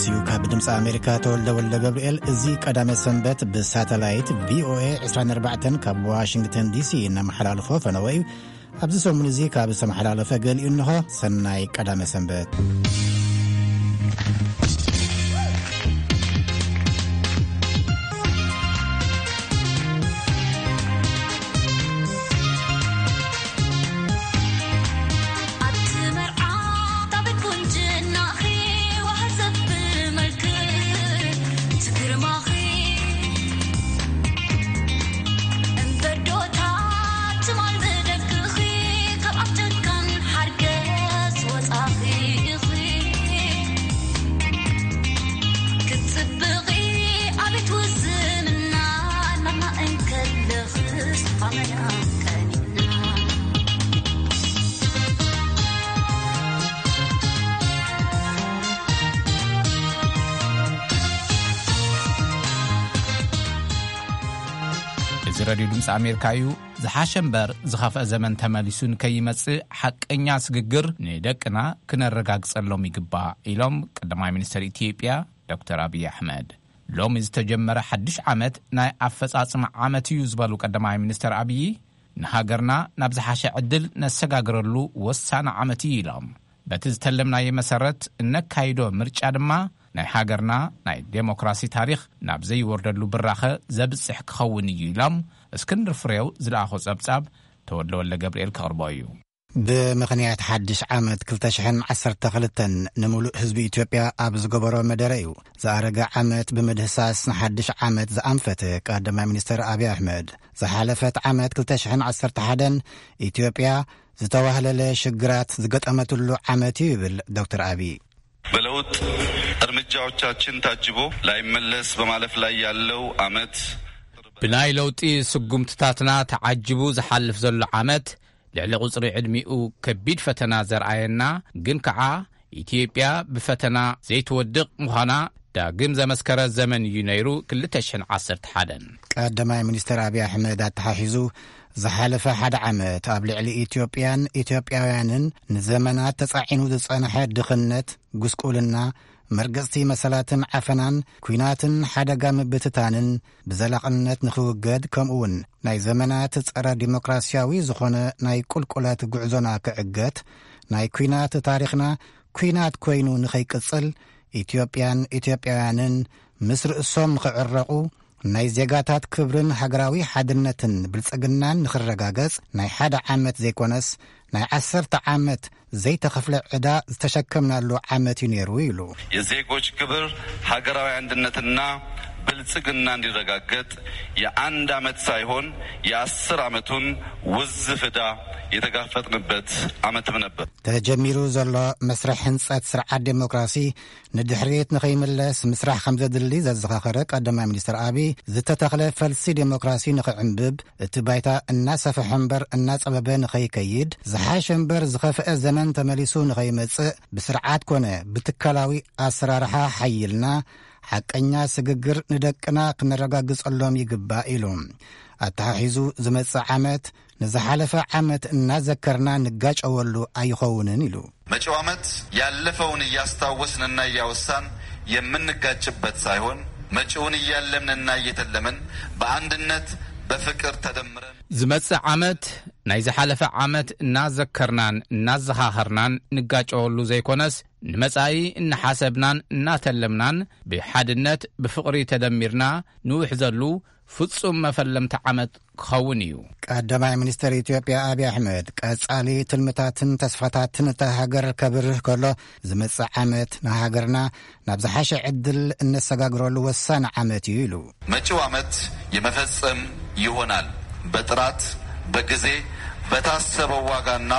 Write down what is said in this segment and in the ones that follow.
እዩ ካብ ድምፂ ኣሜሪካ ተወልደ ወልደ ገብርኤል። እዚ ቀዳመ ሰንበት ብሳተላይት ቪ ኦ ኤ ዕስራን ኣርባዕተን ካብ ዋሽንግተን ዲ ሲ እናመሓላልፎ ፈነወ እዩ። ኣብዚ ሰሙን እዚ ካብ ዝተመሓላለፈ ገሊኡ እንሆ። ሰናይ ቀዳመ ሰንበት። ኣብቲ መርዓ ጣብን ቁንጅናኺ ዋህ ዘብል መልክዕ ትግርማኺ። እምበር ዶ እታ ትማል ብደቅኺ ካብ ኣፍ ጨካን ሓርገጽ ወጻኺ ኢኺ። ክትጽብቒ ኣቤት ውስንና ናማ እንከለኽስ ኣመና ቀኒና። እዚ ሬድዮ ድምፂ ኣሜሪካ እዩ። ዝሓሸ እምበር ዝኸፍአ ዘመን ተመሊሱ ንከይመጽእ ሓቀኛ ስግግር ንደቅና ክነረጋግጸሎም ይግባእ ኢሎም ቀዳማይ ሚኒስትር ኢትዮጵያ ዶክተር ኣብይ ኣሕመድ። ሎሚ ዝተጀመረ ሓድሽ ዓመት ናይ ኣፈጻጽማ ዓመት እዩ ዝበሉ ቀዳማይ ሚኒስትር ኣብይ፣ ንሃገርና ናብ ዝሓሸ ዕድል ነሰጋግረሉ ወሳኒ ዓመት እዩ ኢሎም። በቲ ዝተለምናዮ መሰረት እነካይዶ ምርጫ ድማ ናይ ሃገርና ናይ ዴሞክራሲ ታሪኽ ናብ ዘይወርደሉ ብራኸ ዘብጽሕ ክኸውን እዩ ኢሎም እስክንድር ፍሬው ዝለኣኾ ጸብጻብ ተወልደ ወልደ ገብርኤል ከቕርቦ እዩ። ብምኽንያት ሓድሽ ዓመት ክልተ ሽሕን ዓሰርተ ክልተን ንምሉእ ህዝቢ ኢትዮጵያ ኣብ ዝገበሮ መደረ እዩ። ዝኣረገ ዓመት ብምድህሳስ ንሓድሽ ዓመት ዝኣንፈተ ቀዳማይ ሚኒስትር ኣብይ ኣሕመድ፣ ዝሓለፈት ዓመት ክልተ ሽሕን ዓሰርተ ሓደን ኢትዮጵያ ዝተዋህለለ ሽግራት ዝገጠመትሉ ዓመት እዩ ይብል ዶክተር ኣብይ። በለውጥ እርምጃዎቻችን ታጅቦ ላይመለስ በማለፍ ላይ ያለው ዓመት። ብናይ ለውጢ ስጉምትታትና ተዓጅቡ ዝሓልፍ ዘሎ ዓመት፣ ልዕሊ ቁጽሪ ዕድሚኡ ከቢድ ፈተና ዘርኣየና፣ ግን ከኣ ኢትዮጵያ ብፈተና ዘይትወድቕ ምዃና ዳግም ዘመስከረ ዘመን እዩ ነይሩ ክልተ ሽሕን ዓሰርተ ሓደን። ቀዳማይ ሚኒስትር ኣብይ ኣሕመድ ኣተሓሒዙ፣ ዝሓለፈ ሓደ ዓመት ኣብ ልዕሊ ኢትዮጵያን ኢትዮጵያውያንን ንዘመናት ተጻዒኑ ዝጸንሐ ድኽነት፣ ጉስቁልና፣ መርገጽቲ መሰላትን ዓፈናን፣ ኲናትን ሓደጋ ምብትታንን ብዘላቕነት ንኽውገድ፣ ከምኡውን ናይ ዘመናት ጸረ ዲሞክራሲያዊ ዝኾነ ናይ ቁልቁለት ጉዕዞና ክዕገት፣ ናይ ኲናት ታሪኽና ኲናት ኮይኑ ንኸይቅጽል፣ ኢትዮጵያን ኢትዮጵያውያንን ምስ ርእሶም ንኽዕረቑ፣ ናይ ዜጋታት ክብርን ሃገራዊ ሓድነትን ብልጽግናን ንኽረጋገጽ፣ ናይ ሓደ ዓመት ዘይኮነስ ናይ ዓሰርተ ዓመት ዘይተኸፍለ ዕዳ ዝተሸከምናሉ ዓመት እዩ ነይሩ ኢሉ። የዜጎች ክብር፣ ሀገራዊ አንድነትና ብልጽግና እንዲረጋገጥ የአንድ ዓመት ሳይሆን የአስር ዓመቱን ውዝፍ ዕዳ የተጋፈጥንበት ዓመትም ነበር። ተጀሚሩ ዘሎ መስርሕ ህንጸት ስርዓት ዴሞክራሲ ንድሕሪት ንኸይምለስ ምስራሕ ከም ዘድሊ ዘዘኻኸረ ቀዳማይ ሚኒስትር ኣብይ፣ ዝተተኽለ ፈልሲ ዴሞክራሲ ንኽዕንብብ፣ እቲ ባይታ እናሰፍሐ እምበር እናጸበበ ንኸይከይድ፣ ዝሓሸ እምበር ዝኸፍአ ዘመን ተመሊሱ ንኸይመጽእ፣ ብስርዓት ኮነ ብትካላዊ ኣሰራርሓ ሓይልና፣ ሓቀኛ ስግግር ንደቅና ክነረጋግጸሎም ይግባእ ኢሉ። ኣተሓሒዙ፣ ዝመጽእ ዓመት ንዝሓለፈ ዓመት እናዘከርና ንጋጨወሉ ኣይኸውንን ኢሉ። መጪው ዓመት ያለፈውን እያስታወስንና እያወሳን የምንጋጭበት ሳይሆን፣ መጪውን እያለምንና እየተለምን በአንድነት በፍቅር ተደምረን። ዝመጽእ ዓመት ናይ ዝሓለፈ ዓመት እናዘከርናን እናዘኻኸርናን ንጋጨወሉ ዘይኮነስ፣ ንመጻኢ እናሓሰብናን እናተለምናን ብሓድነት ብፍቕሪ ተደሚርና ንውሕዘሉ ፍጹም መፈለምታ ዓመት ክኸውን እዩ። ቀዳማይ ሚኒስትር ኢትዮጵያ ኣብይ ኣሕመድ፣ ቀጻሊ ትልምታትን ተስፋታትን እታ ሃገር ከብርህ ከሎ፣ ዝመጽእ ዓመት ንሃገርና ናብ ዝሓሸ ዕድል እነሰጋግረሉ ወሳኒ ዓመት እዩ ኢሉ። መጪው ዓመት የመፈጸም ይሆናል። በጥራት፣ በጊዜ፣ በታሰበው ዋጋና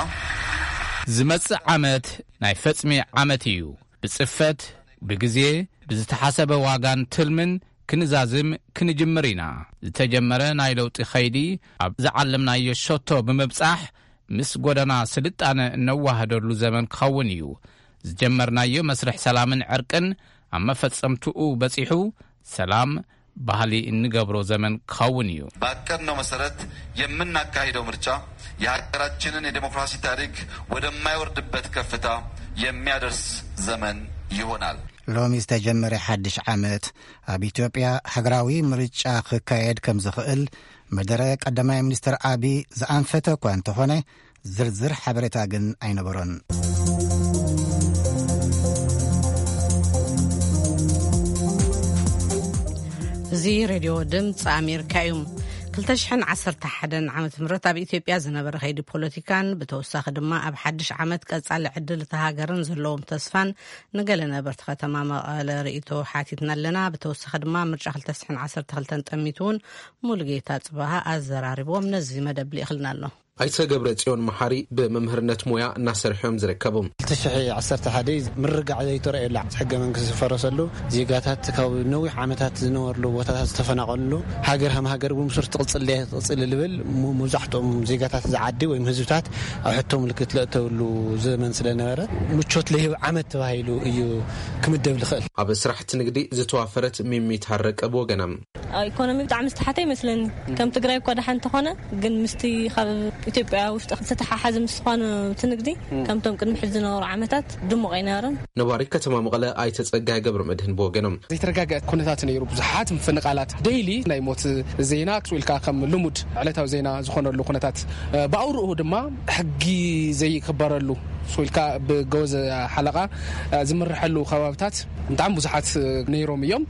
ዝመጽእ ዓመት ናይ ፈጽሚ ዓመት እዩ። ብጽፈት፣ ብግዜ፣ ብዝተሓሰበ ዋጋን ትልምን ክንዛዝም ክንጅምር ኢና። ዝተጀመረ ናይ ለውጢ ኸይዲ ኣብ ዝዓለምናዮ ሸቶ ብምብጻሕ፣ ምስ ጎደና ስልጣነ እነዋህደሉ ዘመን ክኸውን እዩ። ዝጀመርናዮ መስርሕ ሰላምን ዕርቅን ኣብ መፈጸምትኡ በጺሑ፣ ሰላም ባህሊ እንገብሮ ዘመን ክኸውን እዩ። ባቀድነው መሰረት የምናካሂደው ምርጫ የሀገራችንን የዴሞክራሲ ታሪክ ወደማይወርድበት ከፍታ የሚያደርስ ዘመን ይሆናል። ሎሚ ዝተጀመረ ሓድሽ ዓመት ኣብ ኢትዮጵያ ሃገራዊ ምርጫ ክካየድ ከም ዝኽእል መደረ ቀዳማይ ሚኒስትር ኣቢ ዝኣንፈተ እኳ እንተኾነ፣ ዝርዝር ሓበሬታ ግን ኣይነበሮን። እዚ ሬድዮ ድምፂ ኣሜሪካ እዩ። ክልተ ሽሕን ዓሰርተ ሓደን ዓመተ ምህረት ኣብ ኢትዮጵያ ዝነበረ ከይዲ ፖለቲካን ብተወሳኺ ድማ ኣብ ሓድሽ ዓመት ቀጻሊ ዕድል እታ ሃገርን ዘለዎም ተስፋን ንገለ ነበርቲ ከተማ መቐለ ርእይቶ ሓቲትና ኣለና። ብተወሳኺ ድማ ምርጫ ክልተ ሽሕን ዓሰርተ ክልተን ጠሚቱ እውን ሙሉጌታ ጽባሃ ኣዘራሪቦም ነዚ መደብ ልኢኽልና ኣሎ። ኣይተ ገብረ ጽዮን መሓሪ ብመምህርነት ሞያ እናሰርሑ እዮም ዝርከቡ። ክልተ ሽሕ ዓሰርተ ሓደ ምርጋዕ ዘይተረኣየሉ፣ ሕገ መንግስቲ ዝፈረሰሉ፣ ዜጋታት ካብ ነዊሕ ዓመታት ዝነበርሉ ቦታታት ዝተፈናቐልሉ፣ ሃገር ከም ሃገር እውን ብሱር ትቕጽል ድያ ትቕጽል ልብል ሙ-፣ መብዛሕትኦም ዜጋታት እዚ ዓዲ ወይም ህዝብታት ኣብ ሕቶ ምልክት ለእተውሉ ዘመን ስለ ነበረ፣ ምቾት ለይህብ ዓመት ተባሂሉ እዩ ክምደብ ዝኽእል። ኣብ ስራሕቲ ንግዲ ዝተዋፈረት ሚሚ ታረቀ ብወገና፣ ኣብ ኢኮኖሚ ብጣዕሚ ዝተሓተ ይመስለኒ። ከም ትግራይ እኳ ደሓን እንተኾነ፣ ግን ምስቲ ካብ ኢትዮጵያ ውሽጢ ዝተተሓሓዘ ምስ ዝኾነ እቲ ንግዲ፣ ከምቶም ቅድሚ ሕዚ ዝነበሩ ዓመታት ድሙቕ ኣይነበረን። ነባሪ ከተማ መቐለ ኣይተ ጸጋይ ገብረ መድህን ብወገኖም፣ ዘይተረጋገአ ኩነታት ነይሩ። ብዙሓት ምፍንቓላት፣ ዴይሊ ናይ ሞት ዜና፣ ክሱ ኢልካ ከም ልሙድ ዕለታዊ ዜና ዝኾነሉ ኩነታት፣ እ፣ ብኣውርኡ ድማ ሕጊ ዘይክበረሉ፣ ክሱ ኢልካ ብገወዘ ሓለቓ፣ እ፣ ዝምርሐሉ ከባብታት ብጣዕሚ ብዙሓት ነይሮም እዮም።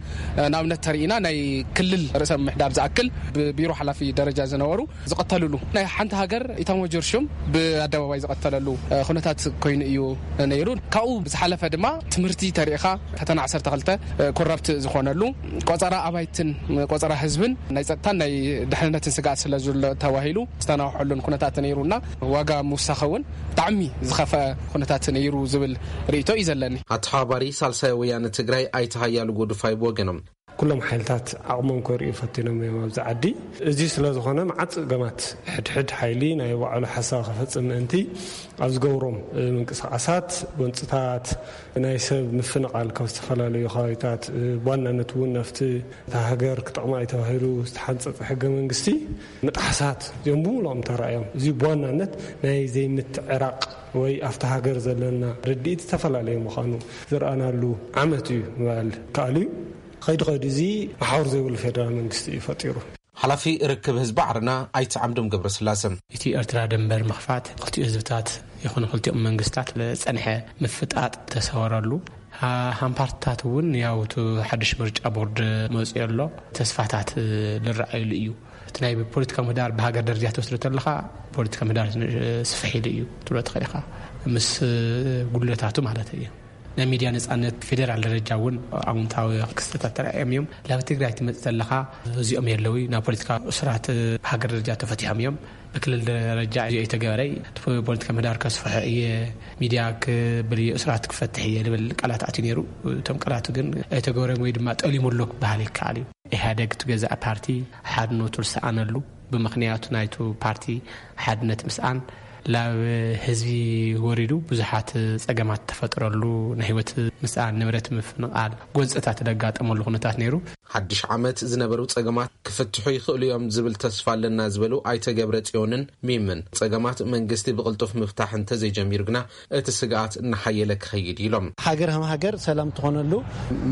ንኣብነት ተሪኢና ናይ ክልል ርእሰ ምምሕዳር ዝኣክል ብቢሮ ሓላፊ ደረጃ ዝነበሩ ዝቐተልሉ፣ ናይ ሓንቲ ሃገር ኢታማጆር ሹም ብኣደባባይ ዝቐተለሉ ኩነታት ኮይኑ እዩ ነይሩ። ካብኡ ብዝሓለፈ ድማ ትምህርቲ ተሪኢኻ ፈተና ዓሰርተ ክልተ ኮራፕት ዝኾነሉ፣ ቆጸራ ኣባይትን ቆጸራ ህዝብን ናይ ጸጥታን ናይ ድሕንነትን ስግኣት ስለ ዘሎ ተባሂሉ ዝተናውሐሉን ኩነታት ነይሩና ዋጋ ምውሳኸ እውን ብጣዕሚ ዝኸፍአ ኩነታት ነይሩ ዝብል ርእይቶ እዩ ዘለኒ። ኣተሓባባሪ ሳልሳይ ወያነ ትግራይ ኣይተ ሃያሉ ጎድፋይ ብወገኖም፣ ኩሎም ሓይልታት ዓቕሞም ከርእዩ ፈቲኖም እዮም ኣብዚ ዓዲ። እዚ ስለ ዝኾነ መዓት ጸገማት፣ ሕድሕድ ሓይሊ ናይ ባዕሉ ሓሳብ ከፈጽም ምእንቲ ኣብ ዝገብሮም፣ እ፣ ምንቅስቓሳት፣ ጎንጽታት፣ ናይ ሰብ ምፍንቓል ካብ ዝተፈላለዩ ከባቢታት፣ እ፣ ብዋናነት እውን ናብቲ እታ ሃገር ክጠቕማ እዩ ተባሂሉ ዝተሓንጸጸ ሕገ መንግስቲ ምጥሓሳት፣ እዚኦም ብምሉኦም ተራእዮም። እዚ ብዋናነት ናይ ዘይምትዕራቕ ወይ ኣብታ ሃገር ዘለና ርድኢት ዝተፈላለየ ምዃኑ ዝረኣናሉ ዓመት እዩ ምባል ይከኣል እዩ። ከይዱ ከይዱ እዚ መሓውር ዘይብሉ ፌደራል መንግስቲ እዩ ፈጢሩ። ሓላፊ ርክብ ህዝቢ ዓረና ኣይተ ዓምዶም ገብረስላሰ፣ እቲ ኤርትራ ድንበር ምኽፋት፣ ክልቲኡ ህዝብታት ይኹኑ ክልቲኦም መንግስታት ዝጸንሐ ምፍጣጥ ተሰወረሉ። ሃ-፣ ሃም ፓርትታት እውን ያው እቲ ሓድሽ ምርጫ ቦርድ መጺኡ ኣሎ፣ ተስፋታት ዝረኣየሉ እዩ። እቲ ናይ ፖለቲካ ምህዳር ብሃገር ደረጃ ትወስዶ ተለኻ፣ ፖለቲካ ምህዳር ስፍሕ ኢሉ እዩ ትብሎ ትኽእል ኢኻ፣ ምስ ጉድለታቱ ማለት እዩ። ናይ ሚድያ ነጻነት ብፌደራል ደረጃ እውን ኣውንታዊ ክስተታት ተራእዮም እዮም። ናብ ትግራይ ትመጽእ ዘለኻ፣ እዚኦም የለዊ፣ ናብ ፖለቲካ እስራት ብሃገር ደረጃ ተፈቲሖም እዮም። ብክልል ደረጃ እዚኦ የተገበረ፣ እቲ ፖለቲካ ምህዳር ከስፍሖ እየ፣ ሚድያ ክብል እየ፣ እስራት ክፈትሕ እየ ልብል ቃላት ኣትዩ ነይሩ። እቶም ቃላት ግን ኣይተገበረን ወይ ድማ ጠሊሙ ኣሎ ክበሃል ይከኣል እዩ። ኢህኣደግ እቲ ገዛእ ፓርቲ ሓድነቱ ዝሰኣነሉ፣ ብምኽንያቱ ናይቱ ፓርቲ ሓድነት ምስኣን ላብ ህዝቢ ወሪዱ ብዙሓት ጸገማት ተፈጥረሉ፣ ናይ ህይወት ምስኣን፣ ንብረት ምፍንቓል፣ ጎንጽታት ዘጋጠመሉ ኩነታት ነይሩ። ሓድሽ ዓመት ዝነበሩ ጸገማት ክፍትሑ ይኽእሉ እዮም ዝብል ተስፋ ኣለና ዝበሉ ኣይተ ገብረ ጽዮንን ሚምን፣ ጸገማት መንግስቲ ብቕልጡፍ ምፍታሕ እንተዘይጀሚሩ ግና እቲ ስግኣት እናሓየለ ክኸይድ ኢሎም። ሃገር ከም ሃገር ሰላም ትኾነሉ፣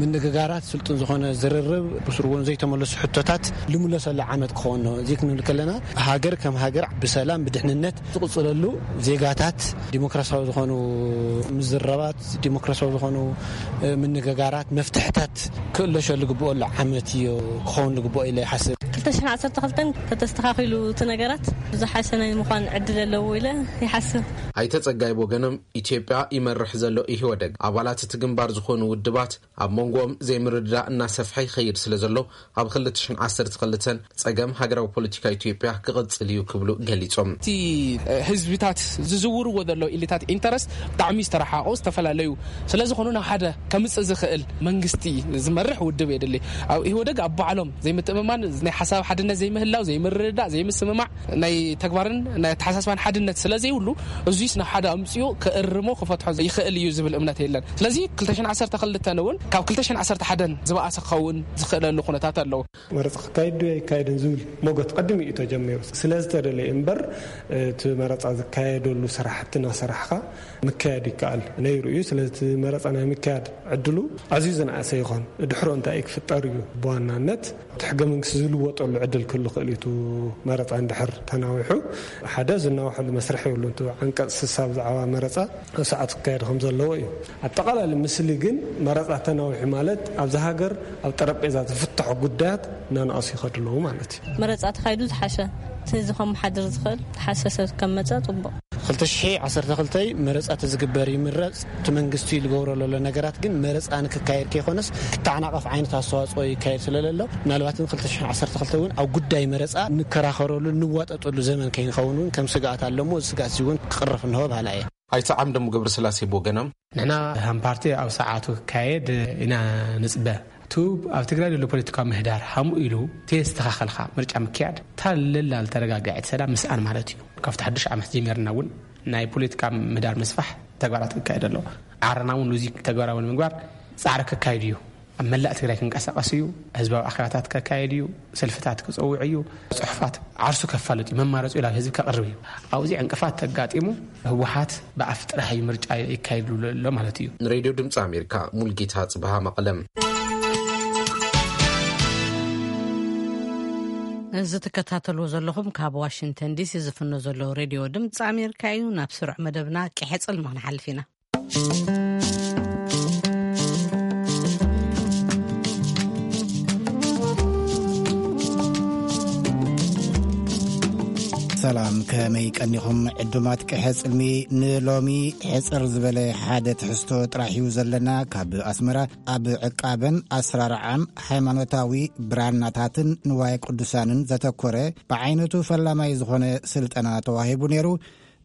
ምንግጋራት፣ ስልጡን ዝኾነ ዝርርብ፣ ብስሩ እውን ዘይተመለሱ ሕቶታት ልምለሰሉ ዓመት ክኸውን ነው። እዚ ክንብል ከለና ሃገር ከም ሃገር ብሰላም ብድሕንነት ዝቕጽለሉ፣ ዜጋታት ዲሞክራሲያዊ ዝኾኑ ምዝረባት፣ ዲሞክራሲያዊ ዝኾኑ፣ እ፣ ምንግጋራት፣ መፍትሕታት ክእለሸሉ ግብኦ ኣሎ ዓመት እዩ ክኸውን ግብኦ ኢለ ይሓስብ። ክልተ ሽሕን ዓሰርተ ክልተን ተተስተኻኺሉ እቲ ነገራት ዝሓሸ ናይ ምዃን ዕድል ኣለዎ ኢለ ይሓስብ። ኣይተ ጸጋይ ብወገኖም፣ ኢትዮጵያ ይመርሕ ዘሎ ኢህወደግ ኣባላት እቲ ግንባር ዝኾኑ ውድባት ኣብ መንጎኦም ዘይምርድዳእ እናሰፍሐ ይኸይድ ስለ ዘሎ፣ ኣብ ክልተ ሽሕን ዓሰርተ ክልተን ጸገም ሃገራዊ ፖለቲካ ኢትዮጵያ ክቕጽል እዩ ክብሉ ገሊጾም። እቲ ህዝብታት ዝዝውርዎ ዘሎ ኢሊታት ኢንተረስት ብጣዕሚ ዝተረሓቑ፣ ዝተፈላለዩ ስለ ዝኾኑ፣ ናብ ሓደ ከምጽእ ዝኽእል መንግስቲ ዝመርሕ ውድብ የድሊ። ኣብ ኢህወደግ ኣብ ባዕሎም ዘይምትእምማን ናይ ሓሳብ ኣብ ሓድነት ዘይምህላው፣ ዘይምርድዳእ፣ ዘይምስምማዕ ናይ ተግባርን ናይ ኣተሓሳስባን ሓድነት ስለ ዘይብሉ፣ እዙይስ ናብ ሓደ ኣምፅኡ ክእርሞ ክፈትሖ ይኽእል እዩ ዝብል እምነት የለን። ስለዚ ክልተ ሽሕን ዓሰርተ ክልተን እውን ካብ ክልተ ሽሕን ዓሰርተ ሓደን ዝበኣሰ ክኸውን ዝኽእለሉ ኩነታት ኣለዉ። መረፃ ክካየድ ድዩ ኣይካየድን ዝብል ሞገት ቀድሚ እዩ ተጀሚሩ። ስለ ዝተደለየ እምበር እቲ መረፃ ዝካየደሉ ስራሕቲ እናሰራሕካ ምካየድ ይከኣል ነይሩ እዩ። ስለዚ እቲ መረፃ ናይ ምካያድ ዕድሉ ኣዝዩ ዝነኣሰ ይኾን። ድሕሮ እንታይ እዩ ክፍጠር እዩ? ብዋናነት እቲ ሕገ መንግስቲ ዝልወጠሉ ዕድል ክህሉ ክእል እዩ። እቲ መረፃ እንድሕር ተናዊሑ ሓደ ዝናውሐሉ መስርሕ የብሉን። እቲ ዓንቀፅ ስሳ ብዛዕባ መረፃ ኣብ ሰዓት ክካየድ ከም ዘለዎ እዩ። ኣጠቓላሊ ምስሊ ግን መረፃ ተናዊሑ ማለት ኣብዚ ሃገር ኣብ ጠረጴዛ ዝፍትሑ ጉዳያት እናነኣሱ ይኸዱ ኣለዉ ማለት እዩ። መረፃ ተኻይዱ ዝሓሸ እቲ ህዝቢ ከመሓድር ዝኽእል ዝሓሸ ሰብ ከም መፀ ፅቡቕ። ክልተ ሽሕ ዓሰርተ ክልተ መረፃ ተዝግበር ይምረፅ። እቲ መንግስቲ ዝገብሮ ዘሎ ነገራት ግን መረፃ ንክካየድ ከይኮነስ ክተዓናቐፍ ዓይነት ኣስተዋፅኦ ይካየድ ስለለሎ፣ ምናልባት ግን ክልተ ሽሕ ዓሰርተ ክልተ እውን ኣብ ጉዳይ መረፃ ንከራኸረሉ ንዋጠጠሉ ዘመን ከይንኸውን እውን ከም ስግኣት ኣለሞ፣ እዚ ስግኣት እዚ እውን ክቕረፍ እንሆ በሃላ እየ። ኣይተ ዓምደሙ ገብረስላሴ ብወገኖም፣ ንሕና ከም ፓርቲ ኣብ ሰዓቱ ክካየድ ኢና ንፅበ። እቲ ኣብ ትግራይ ዘሎ ፖለቲካዊ ምህዳር ሃምኡ ኢሉ ተየስተኻኸልካ ምርጫ ምክያድ፣ እታ ለላ ዝተረጋገዐት ሰላም ምስኣን ማለት እዩ። ካብቲ ሓድሽ ዓመት ጀሚርና እውን ናይ ፖለቲካ ምህዳር ምስፋሕ ተግባራት ክካየድ ኣሎ። ዓረና እውን ነዚ ተግባራዊ ንምግባር ፃዕሪ ከካይድ እዩ። ኣብ መላእ ትግራይ ክንቀሳቐስ እዩ። ህዝባዊ ኣኼባታት ከካየድ እዩ። ሰልፍታት ክፀውዕ እዩ። ፅሑፋት ዓርሱ ከፋልጥ እዩ። መማረፂኡ ናብ ህዝቢ ከቕርብ እዩ። ኣብዚ ዕንቅፋት ተጋጢሙ ህወሓት ብኣፍ ጥራሕ እዩ ምርጫ ይካየድ ኣሎ ማለት እዩ። ንሬድዮ ድምፂ ኣሜሪካ ሙልጌታ ጽብሃ መቐለም። እዚ ትከታተልዎ ዘለኹም ካብ ዋሽንግተን ዲሲ ዝፍኖ ዘሎ ሬድዮ ድምፂ ኣሜሪካ እዩ። ናብ ስሩዕ መደብና ቅሐ ጽልሚ ክንሓልፍ ኢና። ሰላም፣ ከመይ ቀኒኹም ዕዱማት ቅሐ ጽልሚ? ንሎሚ ሕጽር ዝበለ ሓደ ትሕዝቶ ጥራሕ እዩ ዘለና። ካብ ኣስመራ ኣብ ዕቃበን ኣሰራርዓን ሃይማኖታዊ ብራናታትን ንዋየ ቅዱሳንን ዘተኮረ ብዓይነቱ ፈላማይ ዝኾነ ስልጠና ተዋሂቡ ነይሩ።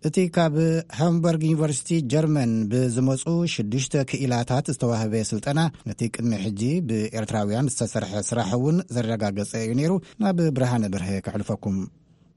እቲ ካብ ሃምበርግ ዩኒቨርሲቲ ጀርመን ብዝመጹ ሽዱሽተ ክኢላታት ዝተዋህበ ስልጠና፣ ነቲ ቅድሚ ሕጂ ብኤርትራውያን ዝተሰርሐ ስራሕ እውን ዘረጋገጸ እዩ ነይሩ። ናብ ብርሃነ በርሀ ከሕልፈኩም።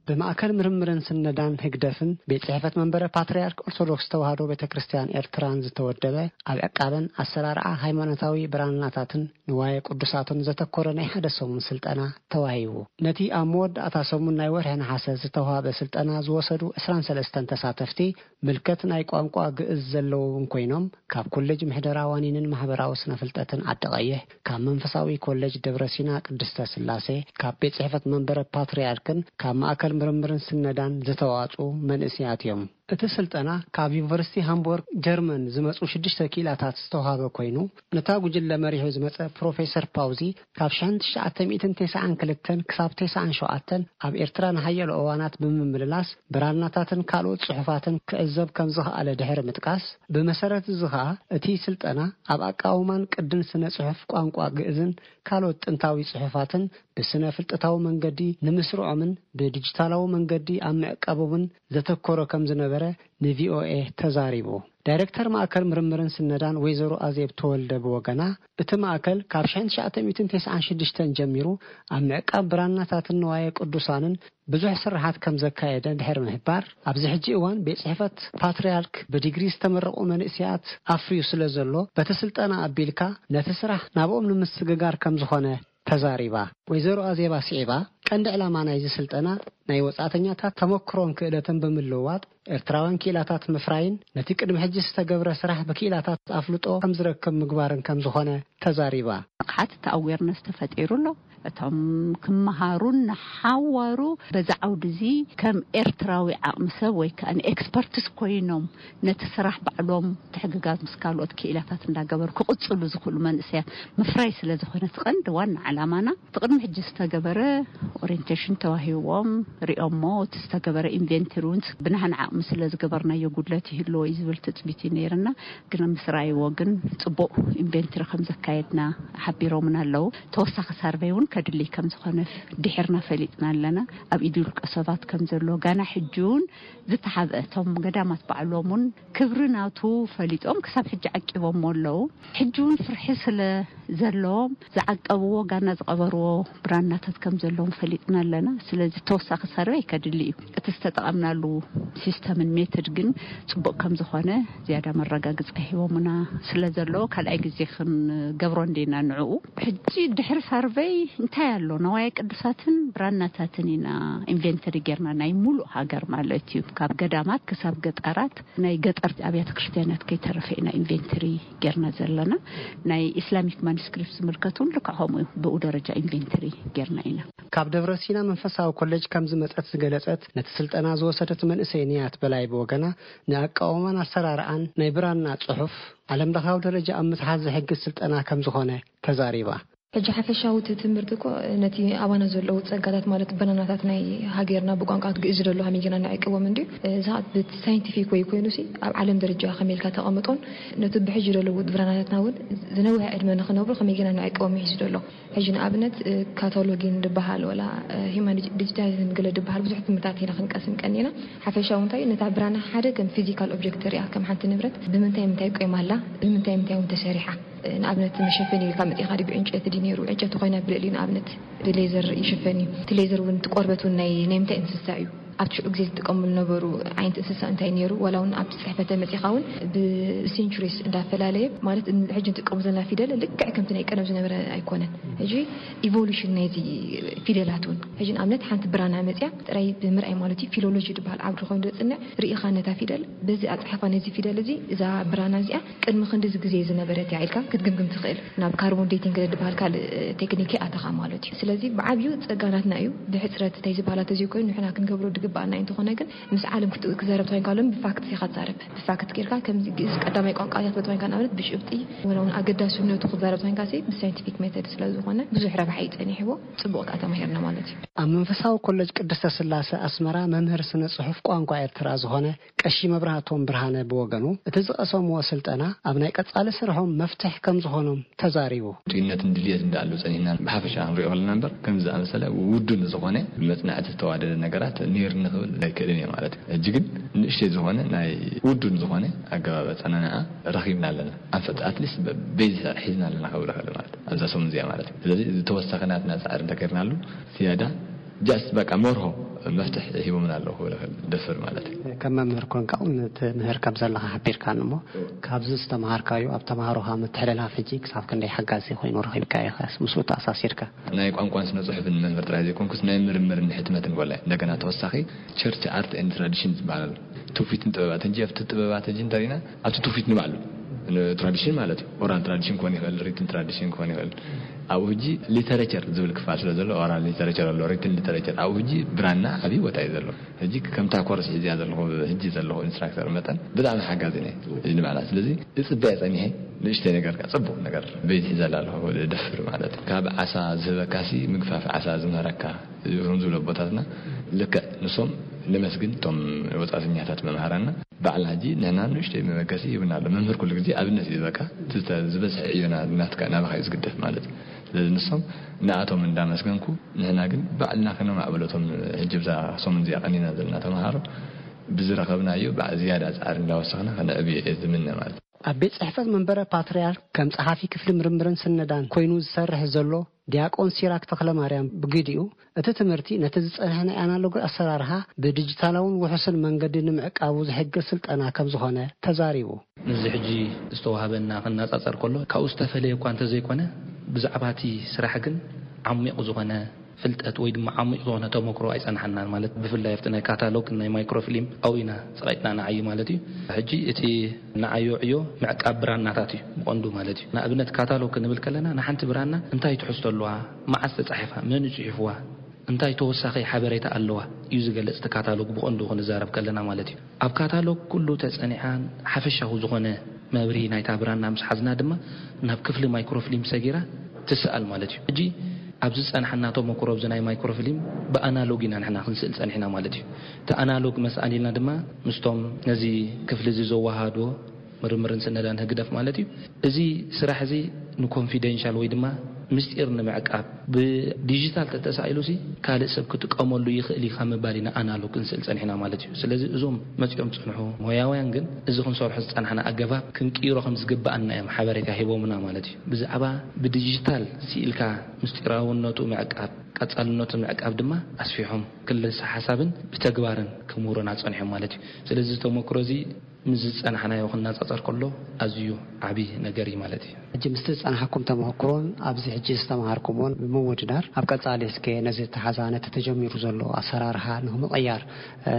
ብማእከል ምርምርን ስነዳን ህግደፍን ቤት ጽሕፈት መንበረ ፓትርያርክ ኦርቶዶክስ ተዋህዶ ቤተ ክርስቲያን ኤርትራን ዝተወደበ፣ ኣብ ዕቃበን ኣሰራርዓ ሃይማኖታዊ ብራናታትን ንዋየ ቅዱሳትን ዘተኮረ ናይ ሓደ ሰሙን ስልጠና ተዋሂቡ። ነቲ ኣብ መወዳእታ ሰሙን ናይ ወርሒ ነሓሰ ዝተዋህበ ስልጠና ዝወሰዱ ዕስራን ሰለስተን ተሳተፍቲ፣ ምልከት ናይ ቋንቋ ግእዝ ዘለዎም ኮይኖም፣ ካብ ኮሌጅ ምሕደራ ዋኒንን ማሕበራዊ ስነ ፍልጠትን ዓዲ ቀይሕ፣ ካብ መንፈሳዊ ኮሌጅ ደብረ ሲና ቅድስተ ስላሴ፣ ካብ ቤት ጽሕፈት መንበረ ፓትርያርክን ካብ ማእከል ምርምርን ስነዳን ዝተዋጽኡ መንእሰያት እዮም። እቲ ስልጠና ካብ ዩኒቨርሲቲ ሃምቡርግ ጀርመን ዝመጹ ሽዱሽተ ክኢላታት ዝተዋሃበ ኮይኑ፣ ነታ ጉጅለ መሪሑ ዝመጸ ፕሮፌሰር ፓውዚ፣ ካብ ሽሕን ትሽዓተ ሚእትን ተስዓን ክልተን ክሳብ ተስዓን ሸውዓተን ኣብ ኤርትራ ንሓያሎ እዋናት ብምምልላስ ብራናታትን ካልኦት ጽሑፋትን ክዕዘብ ከም ዝኸኣለ ድሕሪ ምጥቃስ፣ ብመሰረት እዚ ኸኣ እቲ ስልጠና ኣብ ኣቃውማን ቅድን ስነ ጽሑፍ ቋንቋ ግእዝን ካልኦት ጥንታዊ ጽሑፋትን ብስነ ፍልጠታዊ መንገዲ ንምስርዖምን ብዲጂታላዊ መንገዲ ኣብ ምዕቃቦምን ዘተኮረ ከም ዝነበረ ንቪኦኤ ተዛሪቡ። ዳይሬክተር ማእከል ምርምርን ስነዳን ወይዘሮ ኣዜብ ተወልደ ብወገና፣ እቲ ማእከል ካብ ሽሕን ትሽዓተ ሚእትን ተስዓን ሽዱሽተን ጀሚሩ ኣብ ምዕቃብ ብራናታትን ንዋየ ቅዱሳንን ብዙሕ ስርሓት ከም ዘካየደ ድሕሪ ምሕባር፣ ኣብዚ ሕጂ እዋን ቤት ጽሕፈት ፓትርያርክ ብዲግሪ ዝተመረቑ መንእሰያት ኣፍርዩ ስለ ዘሎ፣ በቲ ስልጠና ኣቢልካ ነቲ ስራሕ ናብኦም ንምስግጋር ከም ዝኾነ ተዛሪባ። ወይዘሮ ኣዜብ ኣስዒባ፣ ቀንዲ ዕላማ ናይዚ ስልጠና ናይ ወጻእተኛታት ተመክሮን ክእለትን ብምልውዋጥ፣ ኤርትራውያን ክኢላታት ምፍራይን ነቲ ቅድሚ ሕጂ ዝተገብረ ስራሕ ብክኢላታት ኣፍልጦ ከም ዝረክብ ምግባርን ከም ዝኾነ ተዛሪባ። ንቕሓት እቲ ኣዌርነስ ተፈጢሩ ኣሎ። እቶም ክመሃሩን ንሓዋሩ በዚ ዓውዲ እዚ ከም ኤርትራዊ ዓቕሚ ሰብ ወይ ከኣ ንኤክስፐርትስ ኮይኖም ነቲ ስራሕ ባዕሎም ምትሕግጋዝ ምስ ካልኦት ክኢላታት እንዳገበሩ ክቕጽሉ ዝኽእሉ መንእሰያት ምፍራይ ስለ ዝኾነ እቲ ቀንዲ ዋና ዓላማና፣ እቲ ቅድሚ ሕጂ ዝተገበረ ኦሪየንቴሽን ተዋሂብዎም ሪኦሞ፣ እቲ ዝተገበረ ኢንቨንተሪ እውን ብናህና ዓቕሚ ስለ ዝገበርናዮ ጉድለት ይህልዎ እዩ ዝብል ትጽቢት እዩ ነይርና። ግን ምስ ረኣይዎ ግን ጽቡቕ ኢንቨንተሪ ከም ዘካየድና ሓቢሮምና ኣለዉ። ተወሳኺ ሳርቨይ እውን ከድልይ ከም ዝኾነ ድሕርና ፈሊጥና ኣለና። ኣብ ኢድ ውልቀ ሰባት ከም ዘሎ ጋና ሕጂ እውን ዝተሓብአ፣ እቶም ገዳማት ባዕሎም እውን ክብሪ ናቱ ፈሊጦም ክሳብ ሕጂ ዓቂቦምዎ ኣለዉ። ሕጂ እውን ፍርሒ ስለ ዘለዎም ዝዓቀብዎ ጋና ዝቐበርዎ ብራናታት ከም ዘለዎም ፈሊጥና ኣለና። ስለዚ ተወሳኺ ሰርቨይ ከድሊ እዩ። እቲ ዝተጠቐምናሉ ሲስተምን ሜትድ ግን ጽቡቕ ከም ዝኾነ ዝያዳ መረጋግጻ ሂቦምና ስለ ዘለዉ ካልኣይ ግዜ ክንገብሮ እንዲና ንዕኡ። ሕጂ ድሕሪ ሰርቨይ እንታይ ኣሎ? ነዋየ ቅዱሳትን ብራናታትን ኢና ኢንቨንተሪ ጌርና፣ ናይ ሙሉእ ሃገር ማለት እዩ። ካብ ገዳማት ክሳብ ገጠራት፣ ናይ ገጠር ኣብያተ ክርስቲያናት ከይተረፈ ኢና ኢንቨንተሪ ጌርና ዘለና። ናይ ኢስላሚክ ማኑስክሪፕት ዝምልከት እውን ልክዕ ከምኡ እዩ። ብኡ ደረጃ ኢንቨንተሪ ጌርና ኢና። ካብ ደብረ ሲና መንፈሳዊ ኮሌጅ ከም ዝመጸት ዝገለጸት፣ ነቲ ስልጠና ዝወሰደት መንእሰይ ንያት በላይ ብወገና፣ ንኣቃውማን ኣሰራርኣን ናይ ብራና ጽሑፍ ዓለም ለኻዊ ደረጃ ኣብ ምትሓዝ ዝሕግዝ ስልጠና ከም ዝኾነ ተዛሪባ። ሕጂ ሓፈሻዊ እቲ ትምህርቲ እኮ ነቲ ኣባና ዘለዉ ጸጋታት ማለት ብራናታት ናይ ሃገርና ብቋንቋ ግእዝ ዘሎ ከመይ ጌርና ንዕቅቦም እንድዩ። እዚ ኸኣ ብቲ ሳይንቲፊክ ወይ ኮይኑሲ ኣብ ዓለም ደረጃ ከመይ ኢልካ ተቐምጦን ነቲ ብሕጂ ዘለዉ ብራናታትና እውን ዝነውሐ ዕድመ ንኽነብሩ ከመይ ጌርና ንዕቅቦም ይሕዝ ዘሎ። ሕጂ ንኣብነት ካታሎጊን ዝበሃል ወላ ሂማን ዲጂታይዝን ገለ ዝበሃል ብዙሕ ትምህርትታት ኢና ክንቀስም ቀኒና። ሓፈሻዊ እንታይ ነታ ብራና ሓደ ከም ፊዚካል ኦብጀክት ሪኣ ከም ሓንቲ ንብረት ብምንታይ ምንታይ ቆይማ ኣላ ብምንታይ ምንታይ እውን ተሰሪሓ። ንኣብነት መሸፈኒ ኢልካ መጺኻ ድዩ ብዕንጨይቲ ድዩ ነይሩ? ዕንጨይቲ ኮይና ብልዕሊኡ ንኣብነት ብሌዘር ይሽፈን እዩ። እቲ ሌዘር እውን እቲ ቆርበት እውን ናይ ናይ ምንታይ እንስሳ እዩ? ኣብቲ ሽዑ ግዜ ዝጥቀምሉ ነበሩ ዓይነት እንስሳ እንታይ ነይሩ? ዋላ እውን ኣብቲ ጽሕፈተ መጺኻ እውን ብሴንቹሪስ እንዳፈላለየ ማለት ን- ሕጂ ንጥቀሙ ዘለና ፊደል ልክዕ ከምቲ ናይ ቀደም ዝነበረ ኣይኮነን። ሕጂ ኢቮሉሽን ናይዚ ፊደላት እውን ሕጂ ንኣብነት ሓንቲ ብራና መጽያ ጥራይ ብምርኣይ ማለት እዩ ፊሎሎጂ ዝበሃል ዓውዲ ኮይኑ ዘጽንዕ ርኢኻ ነታ ፊደል በዚ ኣጻሓፋ ነዚ ፊደል እዚ እዛ ብራና እዚኣ ቅድሚ ክንድዚ ግዜ ዝነበረት እያ ኢልካ ክትግምግም ትኽእል። ናብ ካርቦን ዴቲንግ ዝበሃል ካልእ ቴክኒክ ኣተኻ ማለት እዩ። ስለዚ ብዓብዩ ጸጋናትና እዩ። ብሕጽረት እንታይ ዝበሃላ ተዘይኮይኑ ንሕና ክንገብሮ ድግበኣና እዩ። እንተኾነ ግን ምስ ዓለም ክት- ክዛረብ ተኾይንካ ሎም ብፋክት ኢኻ ትዛረብ። ብፋክት ጌርካ ከምዚ ግእዝ ቀዳማይ ቋንቋ እያ ትብል ተኾይንካ ንኣብነት ብጭብጢ ወላ እውን ኣገዳስነቱ ክዛረብ ተኾይንካ ሲ ብሳይንቲፊክ ሜተድ ስለ ዝኾነ ብዙሕ ረብሓ እዩ ጸኒሕዎ። ጽቡቕ ከኣ ተማሂርና ማለት እዩ። ኣብ መንፈሳዊ ኮሌጅ ቅድስተ ስላሴ ኣስመራ መምህር ስነ ጽሑፍ ቋንቋ ኤርትራ ዝኾነ ቀሺ መብራህቶም ብርሃነ ብወገኑ፣ እቲ ዝቐሰምዎ ስልጠና ኣብ ናይ ቀጻሊ ስርሖም መፍትሕ ከም ዝኾኖም ተዛሪቡ። ጥዩነትን ድልየትን ደኣ ኣሎ ጸኒሕና ብሓፈሻ ክንሪኦ ከለና እምበር፣ ከምዚ ዝኣመሰለ ውዱን ዝኾነ ብመጽናዕቲ ዝተዋደደ ነገራት ነይሩኒ ክብል ኣይክእልን እየ ማለት እዩ። ሕጂ ግን ንእሽተይ ዝኾነ ናይ ውዱን ዝኾነ ኣገባብ ኣጸናንዓ ረኺብና ኣለና። ኣንፈት ኣትሊስት ቤዝ ሒዝና ኣለና ክብል እኽእል ማለት እዩ። ኣብዛ ሰሙን እዚኣ ማለት እዩ። ስለዚ እዚ ተወሳኺ ናትና ጻዕሪ እንተገይርናሉ ዝያዳ ጃስት በቃ መርሆ መፍትሕ ሂቦምና ኣለዉ ክብል እኽእል ደፍር ማለት እዩ። ከም መምህር ኮንካ እውን ትምህር ከም ዘለኻ ሓቢርካኒ እሞ፣ ካብዚ ዝተምሃርካዮ ኣብ ተምሃሮኻ ምትሕልላፍ ሕጂ ክሳብ ክንደይ ሓጋዚ ኮይኑ ረኺብካዮ ኢኻስ ምስኡ ተኣሳሲርካ? ናይ ቋንቋን ስነ ጽሑፍን መምህር ጥራይ ዘይኮንኩስ ናይ ምርምርን ሕትመትን ወላ እንደገና ተወሳኺ ቸርች ኣርት ኤንድ ትራዲሽን ዝበሃል ኣሎ። ትውፊትን ጥበባትን ሕጂ ኣብቲ ጥበባት ሕጂ እንተሪና ኣብቲ ትውፊት ንባዕሉ ትራዲሽን ማለት እዩ። ኦራል ትራዲሽን ክኾን ይኽእል፣ ሪትን ትራዲሽን ክኾን ይኽእል። ኣብኡ ሕጂ ሊተሬቸር ዝብል ክፋል ስለ ዘሎ ኦራል ሊተሬቸር ኣሎ፣ ሪትን ሊተሬቸር። ኣብኡ ሕጂ ብራና ዓብዪ ቦታ እዩ ዘሎ። ሕጂ ከምታ ኮርስ ሕዚያ ዘለኹ ሕጂ ዘለኹ ኢንስትራክተር መጠን ብጣዕሚ ሓጋዚ ነይ ንባዕላ። ስለዚ እጽበያ ጸኒሐ ንእሽተይ ነገር ከኣ ጽቡቕ ነገር ቤት ሒዘላ ኣለኹ ደፍር ማለት እዩ። ካብ ዓሳ ዝህበካሲ ምግፋፍ ዓሳ ዝምህረካ እዮም ዝብሉ ኣቦታትና። ልክዕ ንሶም ነመስግን እቶም ወጻእተኛታት መምሃራና። ባዕልና ሕጂ ንሕና ንእሽተይ መበገሲ ይብና ኣሎ። መምህር ኩሉ ግዜ ኣብነት እዩ በቃ። እቲ ዝተ- ዝበዝሐ ዕዮና ናትካ ናባኻ እዩ ዝግደፍ ማለት እዩ። ስለዚ ንሶም ንኣቶም እንዳመስገንኩ ንሕና ግን ባዕልና ከነማዕብሎ እቶም ሕጂ ብዛ ሰሙን እዚኣ ቀኒና ዘለና ተምሃሮ ብዝረኸብናዮ ባዕ ዝያዳ ጻዕሪ እንዳወሰኽና ከነዕብዮ እየ ዝምነ ማለት እዩ። ኣብ ቤት ጽሕፈት መንበረ ፓትርያርክ ከም ጸሓፊ ክፍሊ ምርምርን ስነዳን ኮይኑ ዝሰርሕ ዘሎ ዲያቆን ሲራክ ተኽለማርያም ብግዲኡ፣ እቲ ትምህርቲ ነቲ ዝጸንሐ ናይ ኣናሎግ ኣሰራርሓ ብዲጂታላውን ውሑስን መንገዲ ንምዕቃቡ ዝሕግዝ ስልጠና ከም ዝኾነ ተዛሪቡ። ምስዚ ሕጂ ዝተዋህበና ክነጻጸር ከሎ ካብኡ ዝተፈለየ እኳ እንተዘይኮነ ብዛዕባ እቲ ስራሕ ግን ዓሚቕ ዝኾነ ፍልጠት ወይ ድማ ዓሚቕ ዝኾነ ተመክሮ ኣይጸንሓናን። ማለት ብፍላይ ኣብቲ ናይ ካታሎግ ናይ ማይክሮፊልም ኣብኡ ኢና ጸቒጥና ንዓዪ ማለት እዩ። ሕጂ እቲ ንዓዮ ዕዮ ምዕቃብ ብራናታት እዩ ብቐንዱ ማለት እዩ። ንኣብነት ካታሎግ ክንብል ከለና ንሓንቲ ብራና እንታይ ትሕዝቶ ኣለዋ፣ መዓስ ተጻሒፋ፣ መን እዩ ጽሒፍዋ፣ እንታይ ተወሳኺ ሓበሬታ ኣለዋ እዩ ዝገልጽ እቲ ካታሎግ ብቐንዱ ክንዛረብ ከለና ማለት እዩ። ኣብ ካታሎግ ኩሉ ተጸኒዓን ሓፈሻዊ ዝኾነ መብርሂ ናይታ ብራና ምስ ሓዝና ድማ ናብ ክፍሊ ማይክሮፊልም ሰጊራ ትስኣል ማለት እዩ። ሕጂ ኣብዚ ዝጸንሓና ተመክሮ ኣብዚ ናይ ማይክሮፊልም ብኣናሎግ ኢና ንሕና ክንስእል ጸኒሕና ማለት እዩ። እቲ ኣናሎግ መስኣል ኢልና ድማ ምስቶም ነዚ ክፍሊ እዚ ዘወሃሃድዎ ምርምርን ስነዳን ህግደፍ ማለት እዩ። እዚ ስራሕ እዚ ንኮንፊደንሻል ወይ ድማ ምስጢር ንምዕቃብ ብዲጂታል ተተሳኢሉ ሲ ካልእ ሰብ ክጥቀመሉ ይኽእል እዩ ካብ ምባል ኢና ኣናሎግ ክንስእል ጸኒሕና ማለት እዩ። ስለዚ እዞም መጺኦም ዝጸንሑ ሞያውያን ግን እዚ ክንሰርሖ ዝጸናሕና ኣገባብ ክንቅይሮ ከም ዝግብኣና እዮም ሓበሬታ ሂቦምና ማለት እዩ። ብዛዕባ ብዲጂታል ስኢልካ ምስጢራውነቱ ምዕቃብ፣ ቀጻልነቱ ምዕቃብ ድማ ኣስፊሖም ክልሰ ሓሳብን ብተግባርን ክምህሩና ጸኒሖም ማለት እዩ። ስለዚ እዚ ተመክሮ እዚ ምስ ዝጸናሕናዮ ክነጻጸር ከሎ ኣዝዩ ዓቢ ነገር እዩ ማለት እዩ። ሕጂ ምስቲ ዝጸናሓኩም ተመክሮን ኣብዚ ሕጂ ዝተምሃርኩምዎን ብምውድዳር ኣብ ቀጻሊ እስከ ነዚ ተሓዛ ነቲ ተጀሚሩ ዘሎ ኣሰራርሓ ንኽምቕያር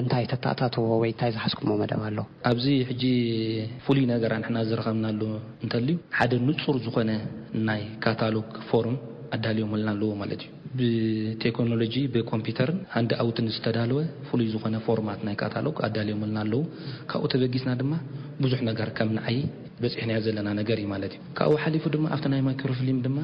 እንታይ ተተኣታትዎ ወይ እንታይ ዝሓዝኩሞ መደብ ኣሎ? ኣብዚ ሕጂ ፍሉይ ነገር ንሕና ዝረኸብናሉ እንተልዩ ሓደ ንጹር ዝኾነ ናይ ካታሎግ ፎርም ኣዳልዮምልና ኣለዎ ማለት እዩ። ብቴክኖሎጂ ብኮምፒውተርን ሃንድ ኣውትን ዝተዳለወ ፍሉይ ዝኾነ ፎርማት ናይ ካታሎግ ኣዳልዮምልና ኣለዉ። ካብኡ ተበጊስና ድማ ብዙሕ ነገር ከም ንዓይ በፂሕናዮ ዘለና ነገር እዩ ማለት እዩ። ካብኡ ሓሊፉ ድማ ኣብቲ ናይ ማይክሮፊልም ድማ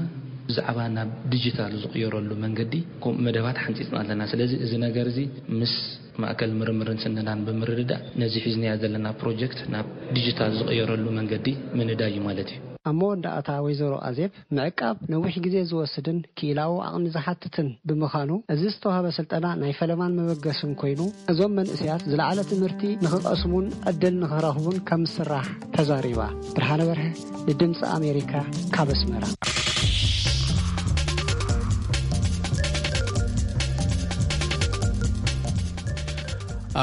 ብዛዕባ ናብ ዲጂታል ዝቕየረሉ መንገዲ ከምኡ መደባት ሓንፂፅና ኣለና። ስለዚ እዚ ነገር እዚ ምስ ማእከል ምርምርን ስነዳን ብምርድዳእ ነዚ ሒዝናዮ ዘለና ፕሮጀክት ናብ ዲጂታል ዝቕየረሉ መንገዲ ምንዳይ እዩ ማለት እዩ። ኣብ መወዳእታ ወይዘሮ ኣዜብ ምዕቃብ ነዊሕ ግዜ ዝወስድን ክኢላዊ ዓቕሚ ዝሓትትን ብምዃኑ እዚ ዝተዋህበ ስልጠና ናይ ፈለማን መበገስን ኮይኑ እዞም መንእሰያት ዝለዓለ ትምህርቲ ንኽቐስሙን ዕድል ንኽረኽቡን ከም ዝስራሕ ተዛሪባ። ብርሃነ በርሀ ንድምፂ ኣሜሪካ ካብ ኣስመራ።